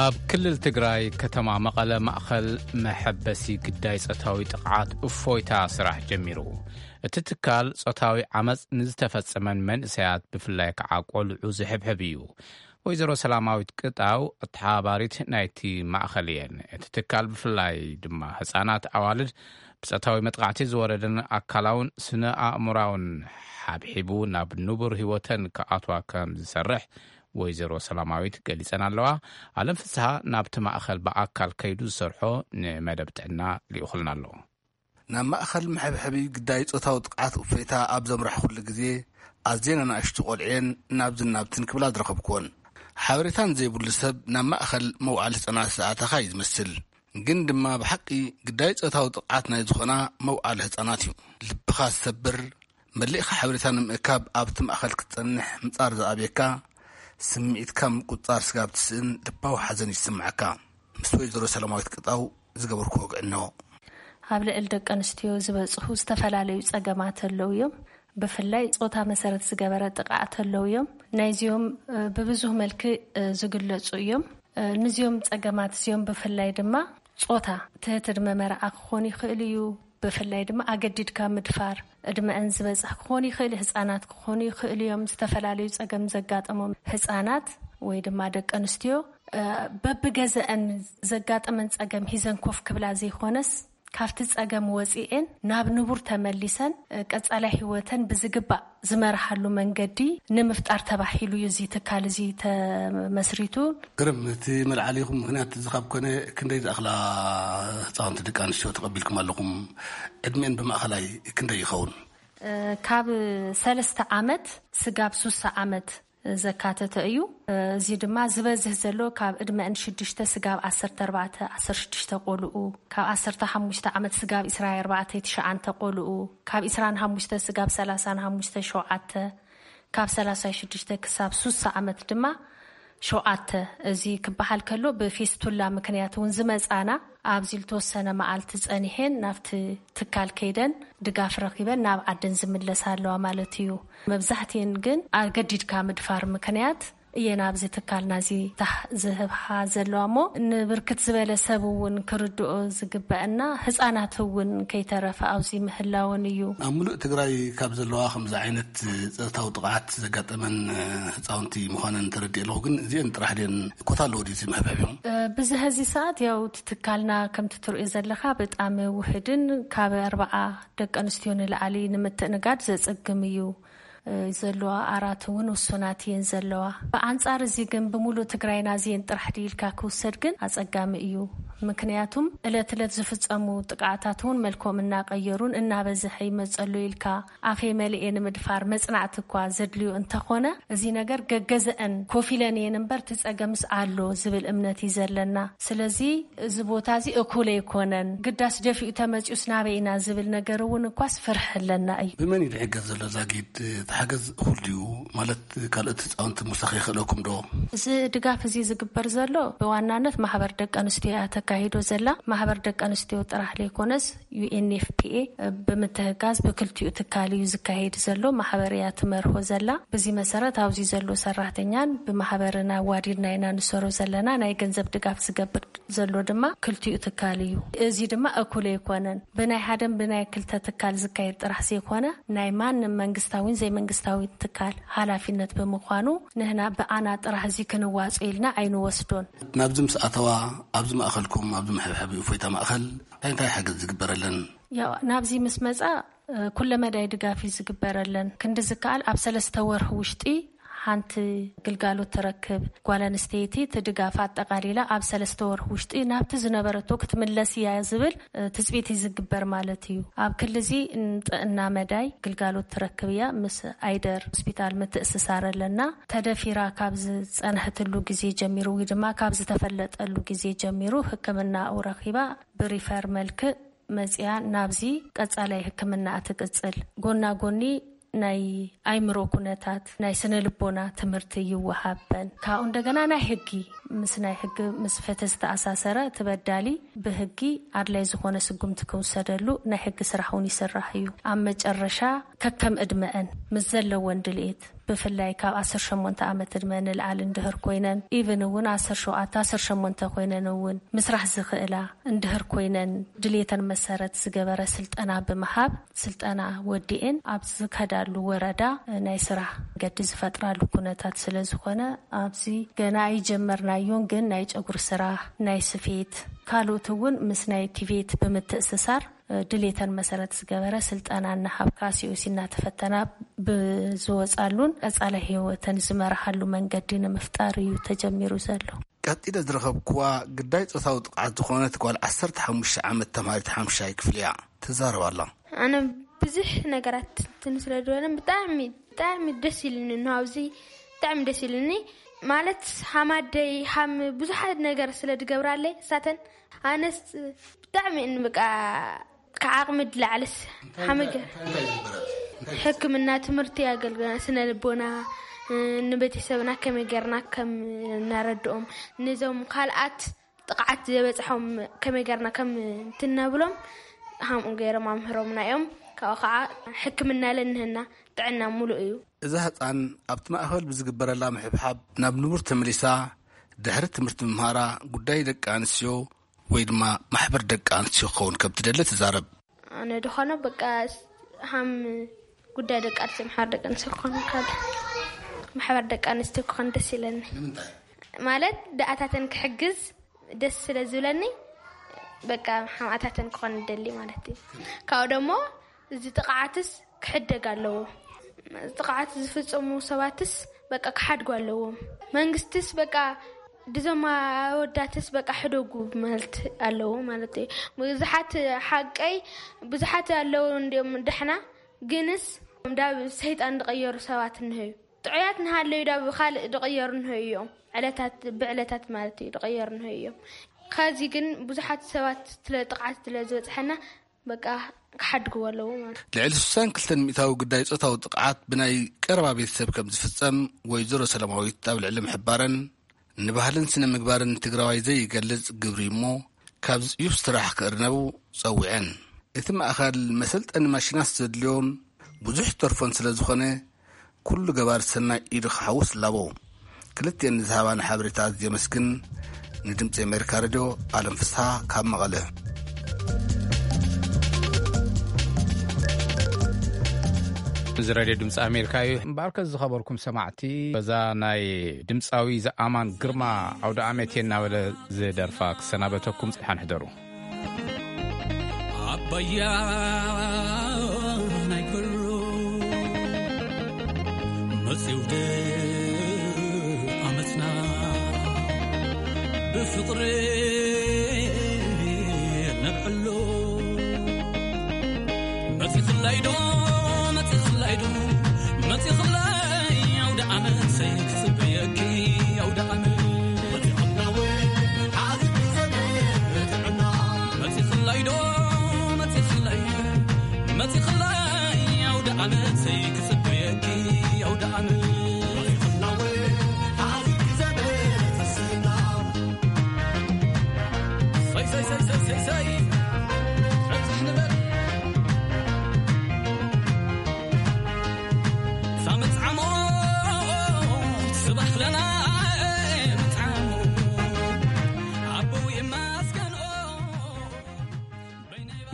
ኣብ ክልል ትግራይ ከተማ መቐለ ማእኸል መሐበሲ ግዳይ ጾታዊ ጥቕዓት እፎይታ ስራሕ ጀሚሩ። እቲ ትካል ጾታዊ ዓመፅ ንዝተፈጸመን መንእሰያት ብፍላይ ከዓ ቆልዑ ዝሕብሕብ እዩ። ወይዘሮ ሰላማዊት ቅጣው ኣተሓባባሪት ናይቲ ማእኸል እየን። እቲ ትካል ብፍላይ ድማ ህፃናት ኣዋልድ ብጾታዊ መጥቃዕቲ ዝወረደን ኣካላውን ስነ ኣእምራውን ሓብሒቡ ናብ ንቡር ህይወተን ክኣትዋ ከም ዝሰርሕ ወይዘሮ ሰላማዊት ገሊጸን ኣለዋ። ኣለም ፍስሃ ናብቲ ማእኸል ብኣካል ከይዱ ዝሰርሖ ንመደብ ጥዕና ልኢኹልና ኣሎ። ናብ ማእኸል መሐብሐቢ ግዳይ ጾታዊ ጥቕዓት እፎይታ ኣብ ዘምራሕኩሉ ግዜ ኣዝየን ኣናእሽቱ ቆልዕየን ናብዝን ናብትን ክብላ ዝረኸብኩወን። ሓበሬታን ዘይብሉ ሰብ ናብ ማእኸል መውዓሊ ህጻናት ዝኣተኻ እዩ ዝመስል። ግን ድማ ብሓቂ ግዳይ ጾታዊ ጥቕዓት ናይ ዝኾና መውዓሊ ህጻናት እዩ። ልብኻ ዝሰብር መሊእኻ ሓበሬታ ንምእካብ ኣብቲ ማእኸል ክትጸንሕ ምጻር ዝኣብየካ፣ ስምዒትካ ምቁጽጻር ስጋብ ትስእን ልባዊ ሓዘን ይስምዓካ። ምስ ወይዘሮ ሰላማዊት ቅጣው ዝገበርኩ ወግዕኖ። ኣብ ልዕሊ ደቂ ኣንስትዮ ዝበጽሑ ዝተፈላለዩ ጸገማት ኣለዉ እዮም። ብፍላይ ጾታ መሰረት ዝገበረ ጥቕዓት ኣለዉ እዮም። ናይዚኦም፣ እ፣ ብብዙህ መልክእ፣ እ፣ ዝግለጹ እዮም። እ፣ ንዚኦም ጸገማት እዚኦም ብፍላይ ድማ ጾታ ትህቲ ዕድመ መርዓ ክኾን ይኽእል እዩ። ብፍላይ ድማ ኣገዲድካ ምድፋር፣ ዕድመአን ዝበጽሕ ክኾን ይኽእል፣ ህጻናት ክኾኑ ይኽእል እዮም። ዝተፈላለዩ ጸገም ዘጋጠሞም ህጻናት ወይ ድማ ደቂ ኣንስትዮ፣ እ፣ በብገዘአን ዘጋጠመን ጸገም ሂዘን ኮፍ ክብላ ዘይኮነስ፣ ካብቲ ጸገም ወጺኤን ናብ ንቡር ተመሊሰን፣ እ፣ ቀጻላይ ህይወተን ብዝግባእ ዝመርሓሉ መንገዲ ንምፍጣር ተባሂሉ እዩ እዚ ትካል እዚ ተመስሪቱ። ግርም፣ እቲ መልዓሊኹም ምኽንያት እዚ ካብ ኮነ ክንደይ ዝኣኽላ ህጻውንቲ ደቂ ኣንስትዮ ተቐቢልኩም ኣለኹም? ዕድሜን ብማእኸላይ ክንደይ ይኸውን? እ፣ ካብ ሰለስተ ዓመት ስጋብ ሱሳ ዓመት ዘካተተ እዩ። እዚ ድማ ዝበዝህ ዘሎ ካብ ዕድመአን ሽዱሽተ ስጋብ ዓሰርተ ኣርባዕተ፣ ዓሰርተ ሽዱሽተ ቆልኡ፣ ካብ ዓሰርተ ሓሙሽተ ዓመት ስጋብ ዕስራን ኣርባዕተን ትሽዓተ ቆልኡ፣ ካብ ዕስራን ሓሙሽተ ስጋብ ሰላሳን ሓሙሽተ ሸውዓተ፣ ካብ ሰላሳ ሽዱሽተ ክሳብ ሱሳ ዓመት ድማ ሸውዓተ። እዚ ክበሃል ከሎ ብፊስቱላ ምክንያት እውን ዝመጻና ኣብዚ ልተወሰነ መዓልቲ ጸኒሐን ናብቲ ትካል ከይደን ድጋፍ ረኺበን ናብ ዓደን ዝምለሳ ኣለዋ ማለት እዩ። መብዛሕትኤን ግን ኣገዲድካ ምድፋር ምክንያት እየን ኣብዚ ትካልና እዚ ታሕ ዝህብሓ ዘለዋ እሞ ንብርክት ዝበለ ሰብ እውን ክርድኦ ዝግበአና ህፃናት እውን ከይተረፈ ኣብዚ ምህላውን እዩ። ኣብ ሙሉእ ትግራይ ካብ ዘለዋ ከምዚ ዓይነት ጾታዊ ጥቕዓት ዘጋጠመን ህፃውንቲ ምዃነን ተረዲእ ኣለኹ። ግን እዚአን ጥራሕ ድየን ኮታ ኣለዎ ድዩ እዚ መሕብሐቢኦም? እ፣ ብዝሐዚ ሰዓት ያው እቲ ትካልና ከምቲ ትርእዮ ዘለኻ ብጣዕሚ ውሕድን ካብ ኣርባዓ ደቂ ኣንስትዮ ንላዕሊ ንምትእንጋድ ዘጸግም እዩ። እ፣ ዘለዋ ኣራት እውን ውሱናት እየን ዘለዋ። ብኣንጻር እዚ ግን ብምሉእ ትግራይና እዚአን ጥራሕ ድዩ ኢልካ ክውሰድ ግን ኣጸጋሚ እዩ። ምክንያቱም እለት እለት ዝፍጸሙ ጥቃዓታት እውን መልኮም እናቀየሩን እናበዝሐ ይመጸሉ ኢልካ ኣፌ መሊኤ ንምድፋር መጽናዕቲ እኳ ዘድልዩ እንተኾነ፣ እዚ ነገር ገገዘአን ኮፍ ኢለን እየን እምበር፣ እቲ ጸገምስ ኣሎ ዝብል እምነት እዩ ዘለና። ስለዚ እዚ ቦታ እዚ እኩል ኣይኮነን፣ ግዳስ ደፊኡ ተመጺኡስ ናበይ ኢና ዝብል ነገር እውን እኳስ ፍርሒ ኣለና እዩ። ብመን እዩ ዝሕገዝ ዘሎ? ዛጊድ እቲ ሓገዝ እኹል ድዩ? ማለት ካልኦት ህፃውንቲ ምውሳኽ ይኽእለኩም ዶ? እዚ ድጋፍ እዚ ዝግበር ዘሎ ብዋናነት ማሕበር ደቂ ኣንስትዮ እያ ተካሂዶ ዘላ። ማሕበር ደቂ ኣንስትዮ ጥራሕ ዘይኮነስ ዩ ኤን ኤፍ ፒ ኤ ብምትህጋዝ ብክልቲኡ ትካል እዩ ዝካሄድ ዘሎ። ማሕበር እያ ትመርሆ ዘላ። በዚ መሰረት ኣብዚ ዘሎ ሰራሕተኛን ብማሕበርን ኣዋዲድና ኢና ንሰሮ ዘለና። ናይ ገንዘብ ድጋፍ ዝገብር ዘሎ ድማ ክልቲኡ ትካል እዩ። እዚ ድማ እኩል ኣይኮነን። ብናይ ሓደን ብናይ ክልተ ትካል ዝካየድ ጥራሕ ዘይኮነ፣ ናይ ማንም መንግስታዊን ዘይመንግስታዊን ትካል ሓላፊነት ብምዃኑ፣ ንህና ብኣና ጥራሕ እዚ ክንዋጾ ኢልና ኣይንወስዶን። ናብዚ ምስ ኣተዋ፣ ኣብዚ ማእኸልኩም፣ ኣብዚ መሐብሐቢ እፎይታ ማእኸል እንታይ እንታይ ሓገዝ ዝግበረለን? ያው ናብዚ ምስ መጻ፣ እ፣ ኩለ መዳይ ድጋፍ እዩ ዝግበረለን። ክንዲ ዝከኣል ኣብ ሰለስተ ወርሒ ውሽጢ ሓንቲ ግልጋሎት ትረክብ ጓል ኣንስተይቲ እቲ ድጋፍ ኣጠቓሊላ ኣብ ሰለስተ ወርሒ ውሽጢ ናብቲ ዝነበረቶ ክትምለስ እያ ዝብል፣ እ፣ ትጽቢት እዩ ዝግበር ማለት እዩ። ኣብ ክሊ እዚ ንጥዕና መዳይ ግልጋሎት ትረክብ እያ። ምስ ኣይደር ሆስፒታል ምትእስሳር ኣለና። ተደፊራ ካብ ዝጸንሐትሉ ግዜ ጀሚሩ ወይ ድማ ካብ ዝተፈለጠሉ ግዜ ጀሚሩ ሕክምናኡ ረኺባ ብሪፈር መልክዕ መጽያ ናብዚ ቀጻላይ ሕክምና ትቅጽል። ጎና ጎኒ ናይ ኣይምሮ ኩነታት ናይ ስነ ልቦና ትምህርቲ ይወሃበን። ካብኡ እንደገና ናይ ሕጊ፣ ምስ ናይ ሕጊ፣ ምስ ፍትሒ ዝተኣሳሰረ፣ እቲ በዳሊ ብሕጊ ኣድላይ ዝኾነ ስጉምቲ ክውሰደሉ ናይ ሕጊ ስራሕ እውን ይስራሕ እዩ። ኣብ መጨረሻ ከከም ዕድመአን ምስ ዘለወን ድልኤት፣ ብፍላይ ካብ ዓሰርተ ሸሞንተ ዓመት ዕድመ ንልዓል እንድህር ኮይነን፣ ኢቭን እውን ዓሰርተ ሸውዓተ፣ ዓሰርተ ሸሞንተ ኮይነን እውን ምስራሕ ዝኽእላ እንድህር ኮይነን፣ ድሌተን መሰረት ዝገበረ ስልጠና ብምሃብ፣ ስልጠና ወዲኤን ኣብ ዝከዳሉ ወረዳ ናይ ስራሕ መገዲ ዝፈጥራሉ ኩነታት ስለ ዝኾነ፣ ኣብዚ ገና ኣይጀመርናዮን፣ ግን ናይ ጨጉሪ ስራሕ፣ ናይ ስፌት፣ ካልኦት እውን ምስ ናይ ቲቬት ብምትእስሳር ድሌተን መሰረት ዝገበረ ስልጠና እናሃብካ፣ ሲ ኦ ሲ እናተፈተና ብዝወጻሉን ቀጻሊ ህይወተን ዝመርሓሉ መንገዲ ንምፍጣር እዩ ተጀሚሩ ዘሎ። ቀጺለ ዝረኸብኩዋ ግዳይ ጾታዊ ጥቕዓት ዝኾነት ጓል ዓሰርተ ሓሙሽተ ዓመት ተምሃሪት ሓምሻይ ክፍሊ እያ። ትዛረብ ኣላ። ኣነ ብዙሕ ነገራት እንትን ስለ ዝበለን ብጣዕሚ፣ ብጣዕሚ ደስ ኢሉኒ። እንሆ ኣብዚ ብጣዕሚ ደስ ኢሉኒ። ማለት ሃም ኣደይ፣ ሃም ብዙሓት ነገር ስለ ዝገብራለይ እሳተን፣ ኣነስ ብጣዕሚ እን በቃ ካብ ዓቕሚ ዝላዕልስ ሓመገ ሕክምና፣ ትምህርቲ፣ ኣገልግሎት ስነ ልቦና፣ እ፣ ንቤተሰብና ከመይ ጌርና ከም እናረድኦም፣ ነዞም ካልኣት ጥቕዓት ዝበጽሖም ከመይ ጌርና ከም እንትነብሎም ሃምኡ ገይሮም ኣምህሮምና እዮም። ካብኡ ከዓ ሕክምና ለንህና ጥዕና ሙሉእ እዩ። እዛ ህፃን ኣብቲ ማእኸል ብዝግበረላ ምሕብሓብ ናብ ንቡር ተመሊሳ ድሕሪ ትምህርቲ ምምሃራ ጉዳይ ደቂ ኣንስትዮ ወይ ድማ ማሕበር ደቂ ኣንስትዮ ክኸውን ከም ትደሊ ትዛረብ። ኣነ ድኾነ በቃ ሃም ጉዳይ ደቂ ኣንስትዮ፣ ማሕበር ደቂ ኣንስትዮ ክኾን ካብ ማሕበር ደቂ ኣንስትዮ ክኾን ደስ ይለኒ። ንምንታይ? ማለት ደኣታተን ክሕግዝ ደስ ስለ ዝብለኒ በቃ ሃምኣታተን ክኾን ደሊ ማለት እዩ። ካብኡ ደሞ እዚ ጥቕዓትስ ክሕደግ ኣለዎ። ጥቕዓት ዝፍጽሙ ሰባትስ በቃ ክሓድጉ ኣለዎም። መንግስትስ በቃ ድዞም ኣወዳትስ በቃ ሕደጉ ማለት ኣለዎ ማለት እዩ። ብዙሓት ሓቀይ ብዙሓት ኣለዉ እንዲኦም ደሕና፣ ግንስ ዳብ ሰይጣን ዝቐየሩ ሰባት እንሀዩ። ጥዑያት ንሃለዩ ዳብ ካልእ ዝቐየሩ እንሀዩ እዮም። ዕለታት ብዕለታት ማለት እዩ ዝቐየሩ እንሀዩ እዮም። ከዚ ግን ብዙሓት ሰባት ስለ ጥቕዓት ስለ ዝበፅሐና በቃ ክሓድግዎ ኣለዎ ማለት እዩ። ልዕሊ ስሳን ክልተን ሚእታዊ ግዳይ ጾታዊ ጥቕዓት ብናይ ቀረባ ቤተሰብ ከም ዝፍጸም ወይዘሮ ሰላማዊት ኣብ ልዕሊ ምሕባረን፣ ንባህልን ስነ ምግባርን ትግራዋይ ዘይገልጽ ግብሪ እሞ ካብ ጽዩፍ ስራሕ ክእርነቡ ጸዊዐን። እቲ ማእኸል መሰልጠኒ ማሽናት ዘድልዮን ብዙሕ ተርፎን ስለ ዝኾነ፣ ኩሉ ገባር ሰናይ ኢዱ ክሓውስ እላቦ። ክልቲኤን ንዝሃባና ሓበሬታ ኣዝየ የመስግን። ንድምፂ ኣሜሪካ ሬድዮ ኣለም ፍስሃ ካብ መቐለ። እዚ ሬድዮ ድምፂ ኣሜሪካ እዩ። እምበኣርከ ዝኸበርኩም ሰማዕቲ፣ በዛ ናይ ድምፃዊ ዘኣማን ግርማ ኣውደ ኣመት እየ እናበለ ዝደርፋ ክሰናበተኩም፣ ደሓን ሕደሩ። ኣባያ ናይ ክብሩ መጺው ደ ኣመትና ብፍቕሪ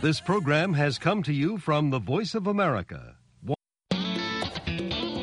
This program has come to you from the Voice of America,